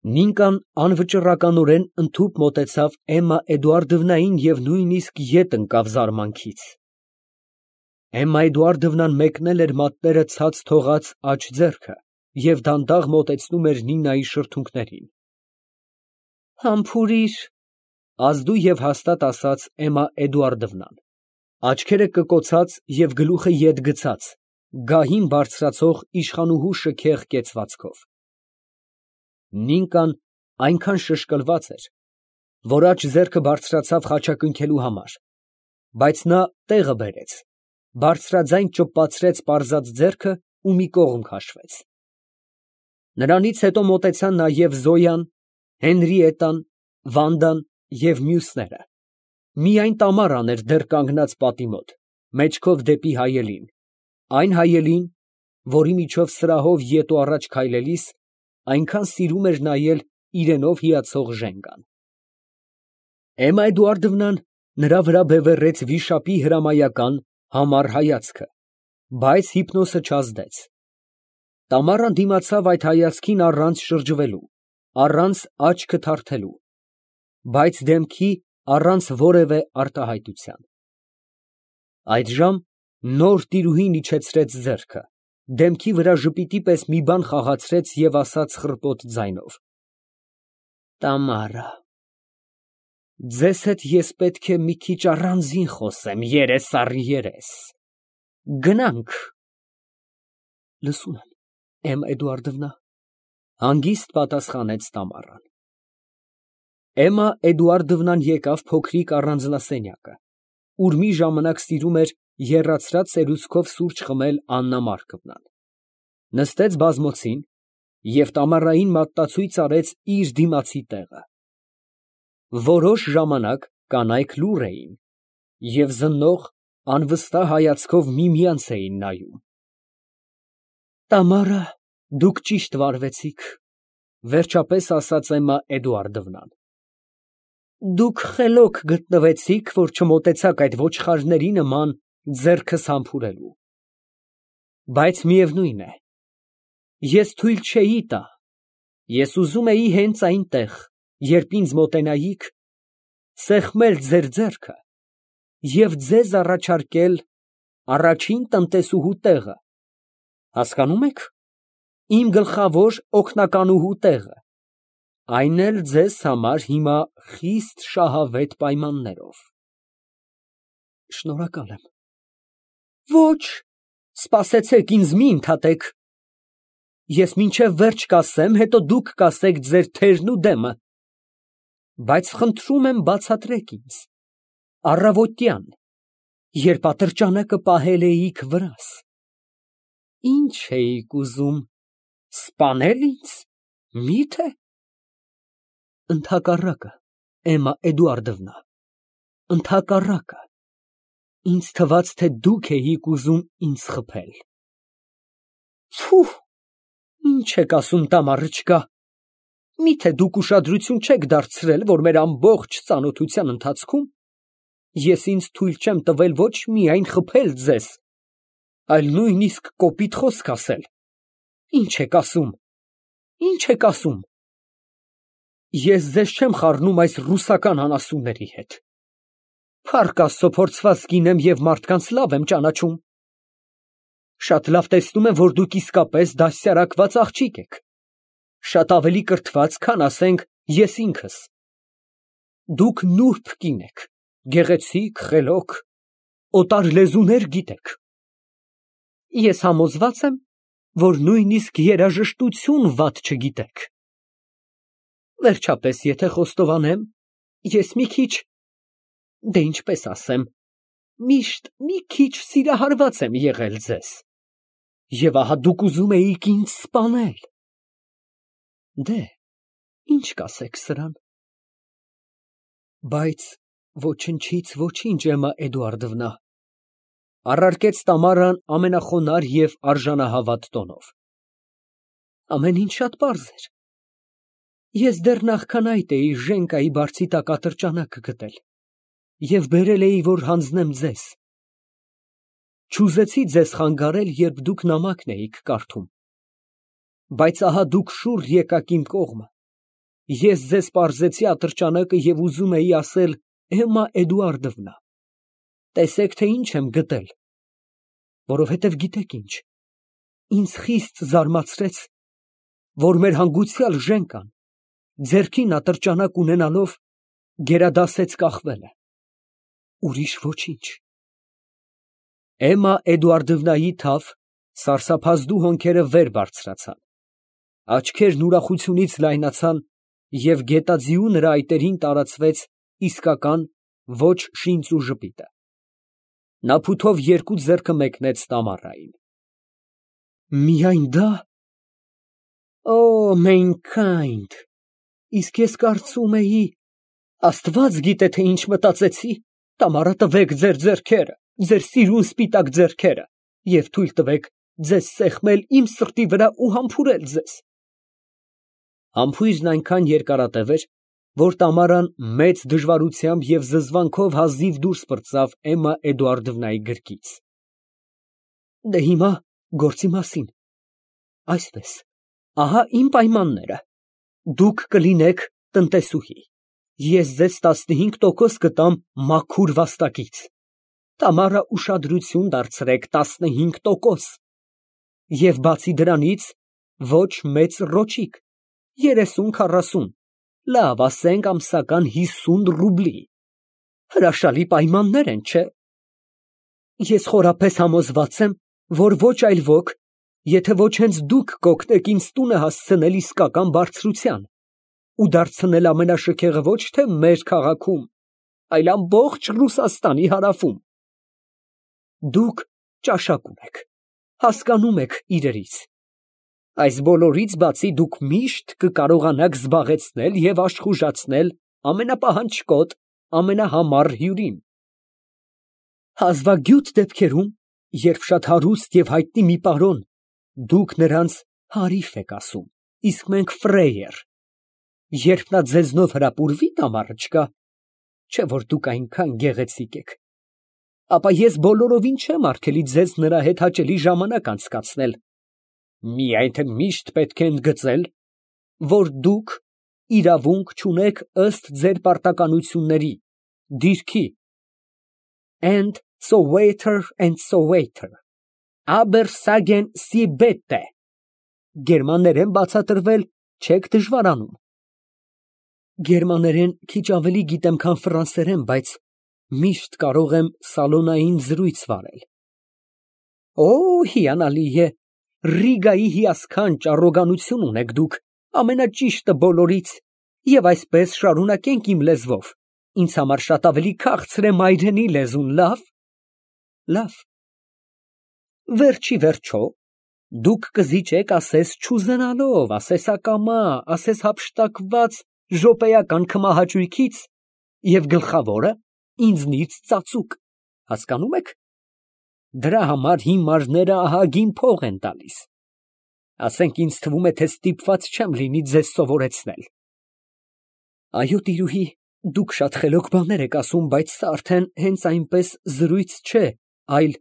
Նինկան անվճռականորեն ընդհուպ մոտեցավ Էմմա Էդուարդովնային և նույնիսկ ետ ընկավ զարմանքից։ Էմմա Էդուարդովնան մեկնել էր մատները ցած թողած աջ ձեռքը և դանդաղ մոտեցնում էր Նինայի շրթունքներին։ Համբուրի՛ր, ազդու և հաստատ ասաց Էմմա Էդուարդովնան, աչքերը կկոցած և գլուխը ետ գցած, գահին բարձրացող իշխանուհու շքեղ կեցվածքով։ Նինկան այնքան շշկլված էր, որ աջ ձեռքը բարձրացավ խաչակնքելու համար, բայց նա տեղը բերեց, բարձրաձայն ճպացրեց պարզած ձեռքը ու մի կողմ քաշվեց։ Նրանից հետո մոտեցան նաև Զոյան, Հենրիետան, Վանդան և մյուսները, միայն Տամարան էր դեռ կանգնած պատի մոտ, մեջքով դեպի հայելին, այն հայելին, որի միջով սրահով ետ ու առաջ քայլելիս այնքան սիրում էր նայել իրենով հիացող Ժենգան։ Էմմա Էդուարդովնան նրա վրա բևեռեց վիշապի հրամայական համառ հայացքը, բայց հիպնոսը չազդեց։ Տամարան դիմացավ այդ հայացքին առանց շրջվելու, առանց աչքը թարթելու, բայց դեմքի առանց որևէ արտահայտության։ Այդժամ նոր տիրուհին իջեցրեց ձեռքը, դեմքի վրա ժպիտի պես մի բան խաղացրեց և ասաց խռպոտ ձայնով. Տամարա, ձեզ հետ ես պետք է մի քիչ առանձին խոսեմ, երես առ երես, գնա՞նք։ Լսում եմ, Էմմա Էդուարդովնա, հանգիստ պատասխանեց Տամարան։ Էմմա Էդուարդովնան եկավ փոքրիկ առանձնասենյակը, ուր մի ժամանակ սիրում էր եռացրած սերուցքով սուրճ խմել Աննա Մարկովնան, նստեց բազմոցին և Տամարային մատնացույց արեց իր դիմացի տեղը։ Որոշ ժամանակ կանայք լուռ էին և զննող, անվստահ հայացքով միմյանց էին նայում։ Տամարա, դուք ճիշտ վարվեցիք, վերջապես ասաց Էմմա Էդուարդովնան։ Դուք խելոք գտնվեցիք, որ չմոտեցաք այդ ոչխարների նման ձեռքս համբուրելու։ Բայց միևնույն է, ես թույլ չէի տա, ես ուզում էի հենց այնտեղ, երբ ինձ մոտենայիք, սեղմել ձեր ձեռքը և ձեզ առաջարկել առաջին տնտեսուհու տեղը, հասկանո՞ւմ եք, իմ գլխավոր օգնականուհու տեղը, այն էլ ձեզ համար հիմա խիստ շահավետ պայմաններով։ Շնորհակալ եմ։ Ոչ, սպասեցեք, ինձ մի ընդհատեք։ Ես մինչև վերջ կասեմ, հետո դուք կասեք ձեր թերն ու դեմը, բայց խնդրում եմ բացատրեք ինձ, առավոտյան, երբ ատրճանակը պահել էիք վրաս, ի՞նչ էիք ուզում, սպանել ինձ, մի՞թե։ Ընդհակառակը, Էմմա Էդուարդովնա, ընդհակառակը, ինձ թվաց, թե դուք էիք ուզում ինձ խփել։ Փուհ, ի՞նչ եք ասում, Տամարıչկա, միթե դուք ուշադրություն չեք դարձրել, որ մեր ամբողջ ծանոթության ընթացքում ես ինձ թույլ չեմ տվել ոչ միայն խփել ձեզ, այլ նույնիսկ կոպիտ խոսք ասել։ Ի՞նչ եք ասում, ի՞նչ եք ասում։ Ես ձեզ չեմ խառնում այս ռուսական անասունների հետ։ Փառք Աստծո, փորձված կին եմ և մարդկանց լավ եմ ճանաչում։ Շատ լավ տեսնում եմ, որ դուք իսկապես դաստիարակված աղջիկ եք, շատ ավելի կրթված, քան, ասենք, ես ինքս։ Դուք նուրբ կին եք, գեղեցիկ, խելոք, օտար լեզուներ գիտեք։ Ես համոզված եմ, որ նույնիսկ երաժշտություն վատ չգիտեք։ Վերջապես, եթե խոստովանեմ, ես մի քիչ, դե ինչպես ասեմ, միշտ մի քիչ սիրահարված եմ եղել ձեզ, և ահա դուք ուզում էիք ինձ սպանել։ Դե, ի՞նչ կասեք սրան։ Բայց ոչնչից ոչինչ, Էմմա Էդուարդովնա, առարկեց Տամարան ամենախոնարհ և արժանահավատ տոնով։ Ամեն ինչ շատ պարզ էր։ Ես դեռ նախքան այդ էի Ժենկայի բարձի տակ ատրճանակը գտել և բերել էի, որ հանձնեմ ձեզ։ Չուզեցի ձեզ խանգարել, երբ դուք նամակն էիք կարդում, բայց ահա դուք շուռ եկաք իմ կողմը ես ձեզ պարզեցի ատրճանակը և ուզում էի ասել Էմմա Էդուարդովնա, տեսեք, թե ինչ եմ գտել, որովհետև գիտեք ինչ, ինձ խիստ զարմացրեց, որ մեր հանգուցյալ Ժենկան, ձեռքին ատրճանակ ունենալով, գերադասեց կախվելը, ուրիշ ոչինչ։ Էմմա Էդուարդովնայի թավ, սարսափազդու հոնքերը վեր բարձրացան, աչքերն ուրախությունից լայնացան և գետաձիու նրա այտերին տարածվեց իսկական ոչ շինծ ու ժպիտը։ Նա փութով երկու ձեռքը մեկնեց Տամարային։ Միայն դա… Օ, Մենքայնդ, իսկ ես կարծում էի… Աստված գիտե, թե ինչ մտածեցի… Տամարա, տվեք ձեր ձեռքերը, ձեր սիրուն սպիտակ ձեռքերը և թույլ տվեք ձեզ սեղմել իմ սրտի վրա ու համբուրել ձեզ… Համբույրն այնքան երկարատև էր, որ Տամարան մեծ դժվարությամբ և զզվանքով հազիվ դուրս պրծավ Էմմա Էդուարդովնայի գրկից։ Դե հիմա գործի մասին… Այսպես, ահա իմ պայմանները. դուք կլինեք տնտեսուհի, ես ձեզ 15% կտամ մաքուր վաստակից, Տամարա, ուշադրություն դարձրեք, 15%, և բացի դրանից ոչ մեծ ռոճիկ, 30-40, լավ, ասենք ամսական 50 ռուբլի, հրաշալի պայմաններ են, չէ՞։ Ես խորապես համոզված եմ, որ ոչ այլ ոք, եթե ոչ հենց դուք կօգնեք ինձ տունը հասցնել իսկական բարձրության ու դարձնել ամենաշքեղը ոչ թե մեր քաղաքում, այլ ամբողջ Ռուսաստանի հարավում։ Դուք ճաշակ ունեք, հասկանում եք իրերից, այս բոլորից բացի դուք միշտ կկարողանաք զբաղեցնել և աշխուժացնել ամենապահանջկոտ, ամենահամառ հյուրին։ Հազվագյուտ դեպքերում, երբ շատ հարուստ և հայտնի մի պարոն, դուք նրանց հարիֆ եք ասում, իսկ մենք ֆրեյեր, երբ նա ձեզնով հրապուրվի, Տամարочка, չէ՞ որ դուք այնքան գեղեցիկ եք, ապա ես բոլորովին չեմ արգելի ձեզ նրա հետ հաճելի ժամանակ անցկացնել, միայն թե միշտ պետք է ընդգծել, որ դուք իրավունք չունեք ըստ ձեր պարտականությունների, դիրքի, and so waiter, aber sagen Sie bitte, գերմաներեն բացատրվել չեք դժվարանում։ Գերմաներեն քիչ ավելի գիտեմ, քան ֆրանսերեն, բայց միշտ կարող եմ սալոնային զրույց վարել։ Օ, հիանալի է, Ռիգայի հիասքանչ առոգանություն ունեք դուք, ամենաճիշտը բոլորից, և այսպես շարունակենք իմ լեզվով, ինձ համար շատ ավելի քաղցր է մայրենի լեզուն, լավ։ Լավ։ Վերջ ի վերջո, դուք կզիջեք ասես չուզենալով, ասես ակամա, ասես հափշտակված րոպեական քմահաճույքից և գլխավորը ինձնից ծածուկ, հասկանում եք։ Դրա համար հիմարները ահագին փող են տալիս։ Ասենք ինձ թվում է, թե ստիպված չեմ լինի ձեզ սովորեցնել։ Այո, տիրուհի, դուք շատ խելոք բաներ եք ասում, բայց սա արդեն հենց այնպես զրույց չէ, այլ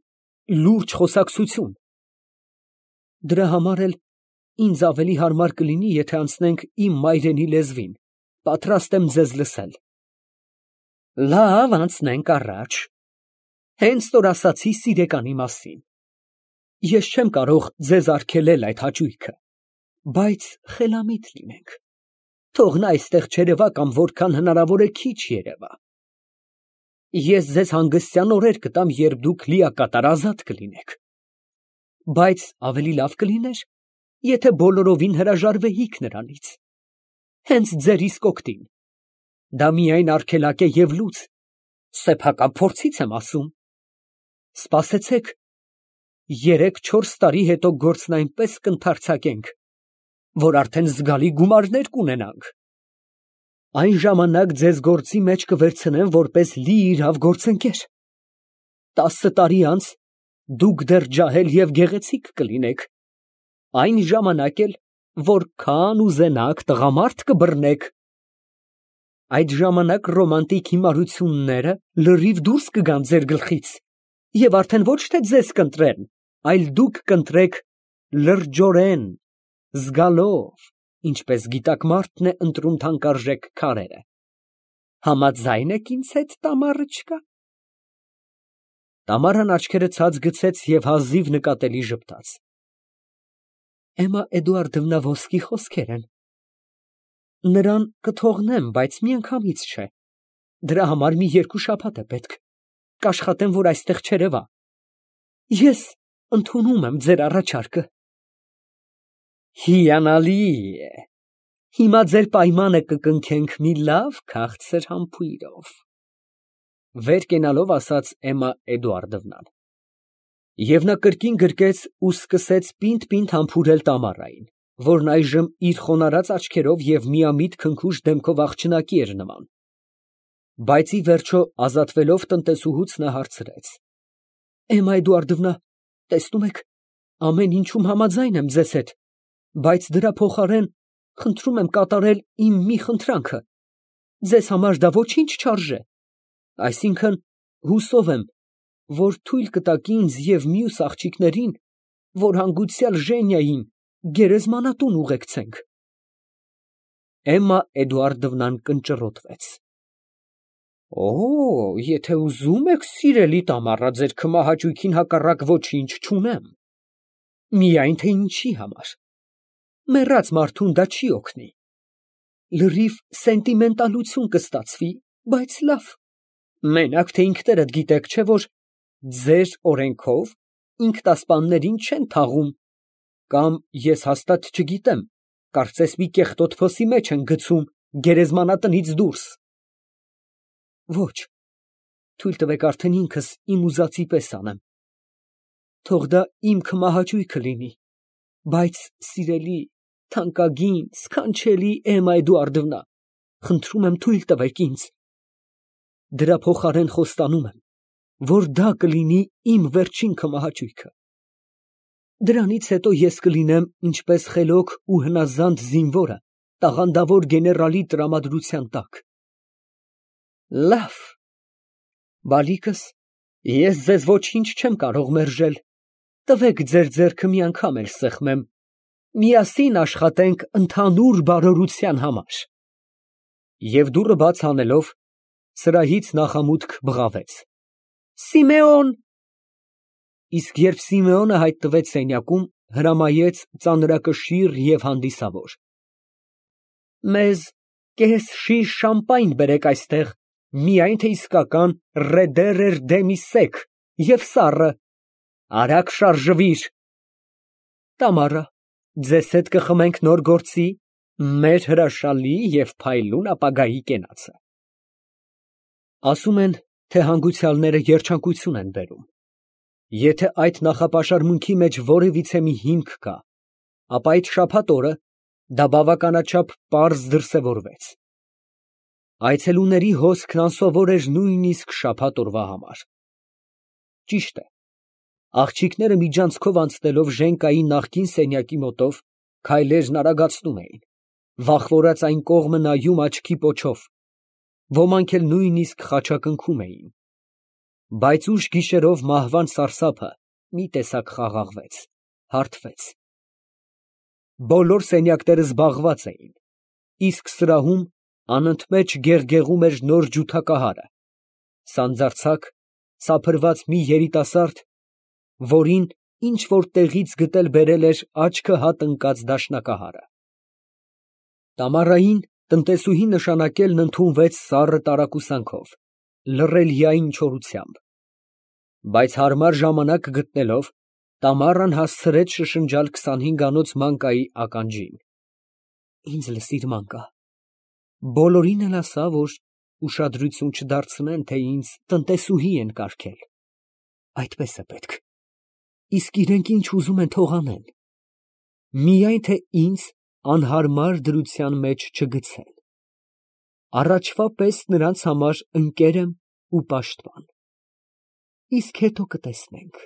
լուրջ խոսակցություն։ Դրա համար էլ ինձ ավելի հարմար կլինի, եթե անցնենք իմ մայրենի լեզվին, պատրաստ եմ ձեզ լսել։ Լավ, անցնենք առաջ։ Հենց որ ասացի սիրեկանի մասին, ես չեմ կարող ձեզ արգելել այդ հաճույքը, բայց խելամիտ լինենք, թող նա այստեղ չերևա կամ որքան հնարավոր է քիչ երևա։ Ես ձեզ հանգստյան օրեր կտամ, երբ դուք լիակատար ազատ կլինեք, բայց ավելի լավ կլիներ, եթե բոլորովին հրաժարվեիք նրանից, հենց ձեր իսկ օգտին։ Դա միայն արգելակ է և լուծ, սեփական փորձից եմ ասում։ Սպասեցեք, 3-4 տարի հետո գործն այնպես կընդարձակենք, որ արդեն զգալի գումարներ կունենանք։ Այն ժամանակ ձեզ գործի մեջ կվերցնեմ որպես լիիրավ գործընկեր։ 10 տարի անց դուք դեռ ջահել և գեղեցիկ կլինեք, այն ժամանակ էլ որքան ուզենաք տղամարդ կբռնեք։ Այդ ժամանակ ռոմանտիկ հիմարությունները լրիվ դուրս կգան ձեր գլխից, և արդեն ոչ թե ձեզ կընտրեն, այլ դուք կընտրեք լրջորեն, զգալով, ինչպես գիտակ մարդն է ընտրում թանկարժեք քարերը։ Համաձայն եք ինձ հետ, Տամարıչկա։ Տամարան աչքերը ցած գցեց և հազիվ նկատելի ժպտաց։ Էմմա Էդուարդովնա ոսկի խոսքեր են։ Նրան կթողնեմ, բայց միանգամից չէ։ Դրա համար մի 2 շաբաթ է պետք։ Կաշխատեմ, որ այստեղ չերևա։ Ես ընդունում եմ ձեր առաջարկը։ Հիանալի է։ Հիմա ձեր պայմանը կկնքենք մի լավ քաղցր համբույրով, վեր կենալով ասաց Էմմա Էդուարդովնան։ Եվ նա կրկին գրկեց ու սկսեց պինդ համբուրել Տամարային, որն այժմ իր խոնարհած աչքերով և միամիտ քնքուշ դեմքով աղջնակի էր նման։ Բայց ի վերջո ազատվելով տնտեսուհուց նա հարցրեց. Էմմա Էդուարդովնա, տեսնում եք, ամեն ինչում համաձայն եմ ձեզ հետ, բայց դրա փոխարեն խնդրում եմ կատարել իմ մի խնդրանքը։ Ձեզ համար դա ոչինչ չարժե։ Այսինքն, հուսով եմ, որ թույլ կտաք ինձ և մյուս աղջիկներին, որ հանգուցյալ Ժենիային գերեզմանատուն ուղեկցենք։ Էմմա Էդուարդովնան կնճռոտվեց։ Եթե ուզում եք, սիրելի Տամարա, ձեր քմահաճույքին հակառակ ոչինչ չունեմ։ Միայն թե ինչի համար։ Մեռած մարդուն դա չի օգնի։ Լրիվ սենտիմենտալություն կստացվի, բայց լավ։ Մենակ թե ինքներդ գիտեք, չէ՞ որ ձեր օրենքով ինքնասպաններին չեն թաղում, կամ ես հաստատ չգիտեմ, կարծես մի կեղտոտ փոսի մեջ են գցում գերեզմանատնից դուրս։ Ոչ, թույլ տվեք արդեն ինքս իմ ուզածի պես անեմ։ Թող դա իմ քմահաճույքը լինի, բայց սիրելի, թանկագին, սքանչելի Էմմա Էդուարդովնա, խնդրում եմ թույլ տվեք ինձ։ Դրա փոխարեն խոստանում եմ, որ դա կլինի իմ վերջին քմահաճույքը։ Դրանից հետո ես կլինեմ ինչպես խելոք ու հնազանդ զինվորը տաղանդավոր գեներալի տրամադրության տակ։ Լավ, բալիկս, ես ձեզ ոչինչ չեմ կարող մերժել, տվեք ձեր ձեռքը մի անգամ էլ սեղմեմ, միասին աշխատենք ընդհանուր բարօրության համար։ Եվ դուռը բաց անելով, սրահից նախամուտք բղավեց. Սիմեոն։ Իսկ երբ Սիմեոնը հայտնվեց սենյակում, հրամայեց ծանրակշիռ և հանդիսավոր. Մեզ կես շիշ շամպայն բերեք այստեղ, միայն թե իսկական ռեդերեր դեմի սեք և սառը, արագ շարժվիր։ Տամարա, ձեզ հետ կխմենք նոր գործի մեր հրաշալի և փայլուն ապագայի կենացը։ Ասում են, թե հանգուցյալները երջանկություն են բերում։ Եթե այդ նախապաշարմունքի մեջ որևիցե մի հիմք կա, ապա այդ շաբաթ օրը դա բավականաչափ պարզ դրսևորվեց։ Այցելուների հոսքն անսովոր էր նույնիսկ շաբաթ օրվա համար։ Ճիշտ է, աղջիկները միջանցքով անցնելով Ժենկայի նախկին սենյակի մոտով, քայլերն արագացնում էին, վախվորած այն կողմը նայում աչքի պոչով, ոմանք էլ նույնիսկ խաչակնքում էին։ Բայց ուշ գիշերով մահվան սարսափը մի տեսակ խաղաղվեց, հարբեց։ Բոլոր սենյակները զբաղված էին, իսկ սրահում անընդմեջ գեղգեղում էր նոր ջութակահարը, սանձարձակ, սափրված մի երիտասարդ, որին ինչ֊որ տեղից գտել բերել էր աչքը հատ ընկած դաշնակահարը։ Տամարային տնտեսուհի նշանակելն ընդունվեց սառը տարակուսանքով, լռելիային չորությամբ։ Բայց հարմար ժամանակ գտնելով, Տամարան հասցրեց շշնջալ 25-անոց Մանկայի ականջին. Ինձ լսիր, Մանկա, բոլորին էլ ասա, որ ուշադրություն չդարձնեն, թե ինձ տնտեսուհի են կարգել։ Այդպես է պետք։ Իսկ իրենք ինչ ուզում են թող անեն։ Միայն թե ինձ անհարմար դրության մեջ չգցեն։ Առաջվա պես նրանց համար ընկեր եմ ու պաշտպան։ Իսկ հետո կտեսնենք։